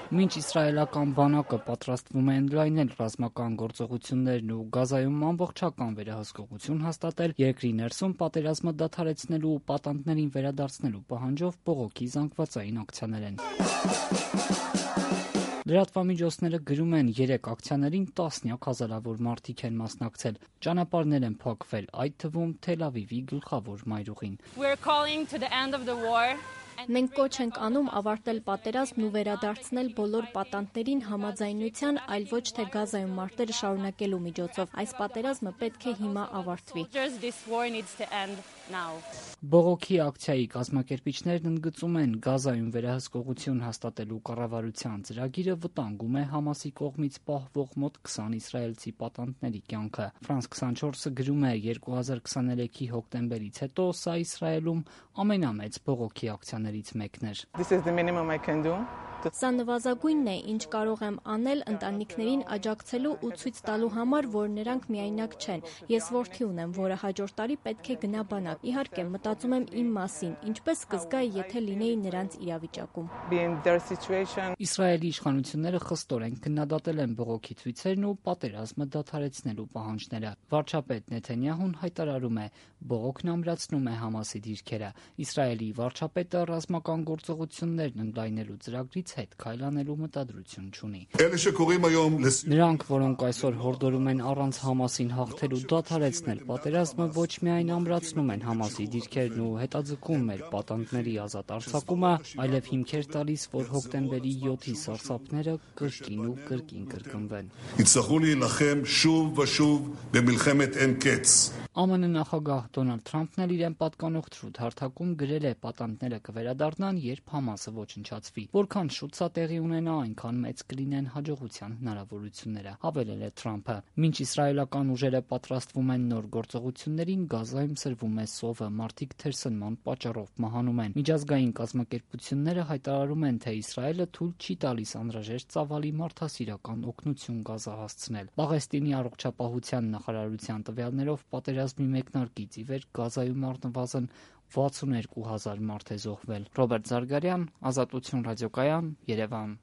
Մինչ իսրայելական բանակը պատրաստվում է ընդլայնել ռազմական գործողություններն ու Գազայում ամբողջական վերահսկողություն հաստատել, երկրի ներսում պատերազմը դադարեցնելու ու պատանդներին վերադարձնելու պահանջով բողոքի զանգվածային ակցիաներ են։ Լրատվամիջոցները գրում են, 3 ակցիաներին տասնյակ հազարավոր մարդիկ են մասնակցել, ճանապարհներ են փակվել, այդ թվում Թել Ավիվի գլխավոր մայրուղին։ Մենք կոչ ենք անում ավարտել պատերազմն ու վերադարձնել բոլոր պատանդներին համաձայնության, այլ ոչ թե Գազայում մարտերը շարունակելու միջոցով։ Այս պատերազմը պետք է հիմա ավարտվի։ Բողոքի ակցիայի կազմակերպիչներն ընդգծում են, Գազայում վերահսկողություն հաստատելու կառավարության ծրագիրը վտանգում է Համասի կողմից պահվող մոտ 20 իսրայելցի պատանդների կյանքը։ France 24-ը գրում է, 2023-ի հոկտեմբերից հետո սա Իսրայելում ամենամեծ բողոքի ակցիաներից մեկն էր։ Սա նվազագույնն է, ինչ կարող եմ անել ընտանիքներին աջակցելու ու ցույց տալու համար, որ նրանք միայնակ չեն։ Ես որդի ունեմ, որը հաջորդ տարի պետք է գնա բանակ։ Իհարկե, մտածում եմ իմ մասին, ինչպես կզգայի, եթե լինեի նրանց իրավիճակում։ Իսրայելի իշխանությունները խստորեն քննադատել են բողոքի ցույցերն ու պատերազմը դադարեցնելու պահանջները։ Վարչապետ Նեթանյահուն հայտարարում է, բողոքն ամրացնում է Համասի դիրքերը։ Իսրայելի վարչապետը ռազմական գործողություններն ընդլայնելու ծրագրից հետ քայլանելու մտադրություն չունի։ Նրանք, որոնք այսօր հորդորում են առանց Համասին հաղթելու դադարեցնել պատերազմը, ոչ միայն ամրացնում են Համասի դիրքերն ու հետաձգում մեր պատանդների ազատ արձակումը, այլև հիմքեր տալիս, որ հոկտեմբերի 7-ի սարսափները կրկին ու կրկին կրկնվեն։ ԱՄՆ նախագահ Դոնալդ Թրամփն էլ իրեն պատկանող թրուդ հարթակում գրել է, պատանդները կվերադառնան, երբ Համասը ոչնչացվի։ Որքան շուտ սա տեղի ունենա, այնքան մեծ կլինեն հաջողության հնարավորությունները, հավելել է Թրամփը։ Մինչ իսրայելական ուժերը պատրաստվում են նոր գործողություններին, Գազայում սրվում է սովը, մարդիկ թերսնման պատճառով մահանում են։ Միջազգային կազմակերպությունները հայտարարում են, թե Իսրայելը թույլ չի տալիս անհրաժեշտ ծավալի մարդասիրական օգնություն Գազա հասցնել։ Պաղեստինի առողջապահության նախարարության տվյալներով պատերազմի մեկնարկից ի վեր Գազայում առնվազն 62,000 մարդ է զոհվել։ Ռոբերտ Զարգարյան, Ազատություն ռադիոկայան, Երևան։